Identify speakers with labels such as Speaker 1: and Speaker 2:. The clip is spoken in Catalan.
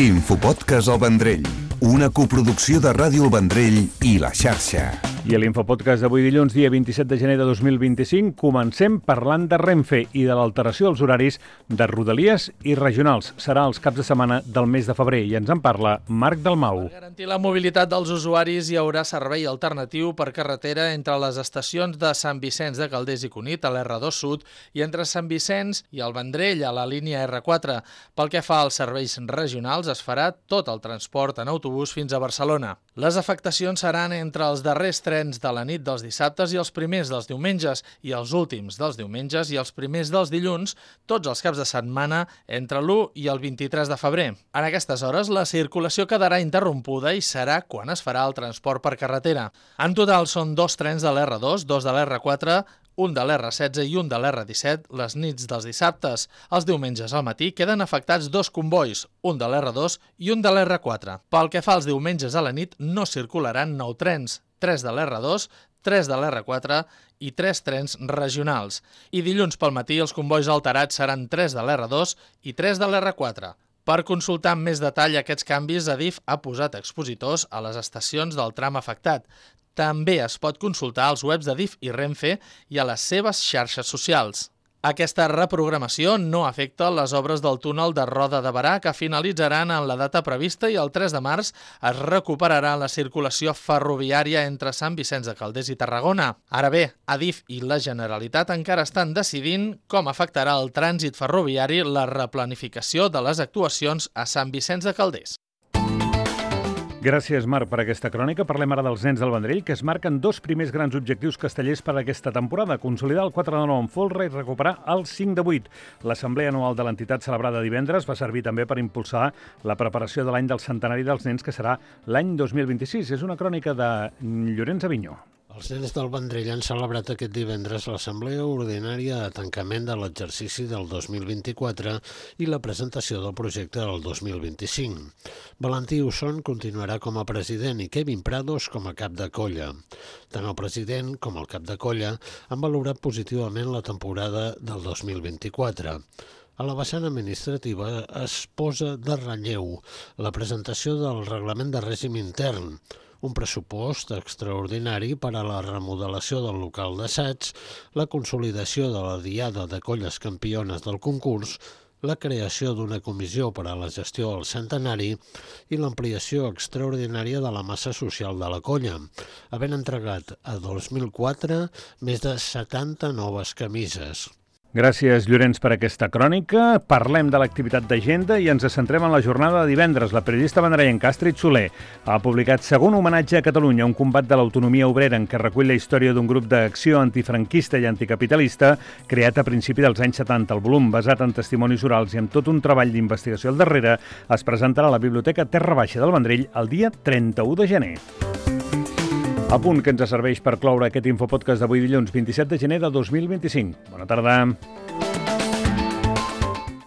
Speaker 1: Infopodcast El Vendrell, una coproducció de Ràdio El Vendrell i La Xarxa.
Speaker 2: I a l'Infopodcast d'avui dilluns, dia 27 de gener de 2025, comencem parlant de Renfe i de l'alteració dels horaris de Rodalies i regionals. Serà els caps de setmana del mes de febrer i ens en parla Marc Dalmau.
Speaker 3: Per garantir la mobilitat dels usuaris hi haurà servei alternatiu per carretera entre les estacions de Sant Vicenç de Calders i Cunit a l'R2 Sud i entre Sant Vicenç i el Vendrell a la línia R4. Pel que fa als serveis regionals, es farà tot el transport en autobús fins a Barcelona. Les afectacions seran entre els darrers trens de la nit dels dissabtes i els primers dels diumenges i els últims dels diumenges i els primers dels dilluns, tots els caps de setmana entre l'1 i el 23 de febrer. En aquestes hores, la circulació quedarà interrompuda i serà quan es farà el transport per carretera. En total són 2 trens de l'R2, 2 de l'R4, un de l'R16 i un de l'R17 les nits dels dissabtes. Els diumenges al matí queden afectats 2 combois, un de l'R2 i un de l'R4. Pel que fa als diumenges a la nit, no circularan 9 trens, 3 de l'R2, 3 de l'R4 i 3 trens regionals. I dilluns pel matí els combois alterats seran 3 de l'R2 i 3 de l'R4. Per consultar amb més detall aquests canvis, Adif ha posat expositors a les estacions del tram afectat. També es pot consultar als webs d'Adif i Renfe i a les seves xarxes socials. Aquesta reprogramació no afecta les obres del túnel de Roda de Berà, que finalitzaran en la data prevista, i el 3 de març es recuperarà la circulació ferroviària entre Sant Vicenç de Calders i Tarragona. Ara bé, Adif i la Generalitat encara estan decidint com afectarà el trànsit ferroviari la replanificació de les actuacions a Sant Vicenç de Calders.
Speaker 2: Gràcies, Marc, per aquesta crònica. Parlem ara dels nens del Vendrell, que es marquen 2 primers grans objectius castellers per a aquesta temporada: consolidar el 4 de 9 en folre i recuperar el 5 de 8. L'assemblea anual de l'entitat celebrada divendres va servir també per impulsar la preparació de l'any del centenari dels nens, que serà l'any 2026. És una crònica de Llorenç Avinyó.
Speaker 4: Els nens del Vendrell han celebrat aquest divendres l'assemblea ordinària de tancament de l'exercici del 2024 i la presentació del projecte del 2025. Valentí Usson continuarà com a president i Kevin Prados com a cap de colla. Tant el president com el cap de colla han valorat positivament la temporada del 2024. A la vessant administrativa es posa de relleu la presentació del reglament de règim intern, un pressupost extraordinari per a la remodelació del local d'assaig, la consolidació de la diada de colles campiones del concurs, la creació d'una comissió per a la gestió del centenari i l'ampliació extraordinària de la massa social de la colla, havent entregat a 2004 més de 70 noves camises.
Speaker 2: Gràcies, Llorenç, per aquesta crònica. Parlem de l'activitat d'agenda i ens centrem en la jornada de divendres. La periodista vendrellenca Astrid Soler ha publicat Segon homenatge a Catalunya, un combat de l'autonomia obrera, en què recull la història d'un grup d'acció antifranquista i anticapitalista creat a principi dels anys 70. El volum, basat en testimonis orals i amb tot un treball d'investigació al darrere, es presentarà a la Biblioteca Terra Baixa del Vendrell el dia 31 de gener. A punt que ens serveix per cloure aquest Infopodcast d'avui dilluns 27 de gener de 2025. Bona tarda.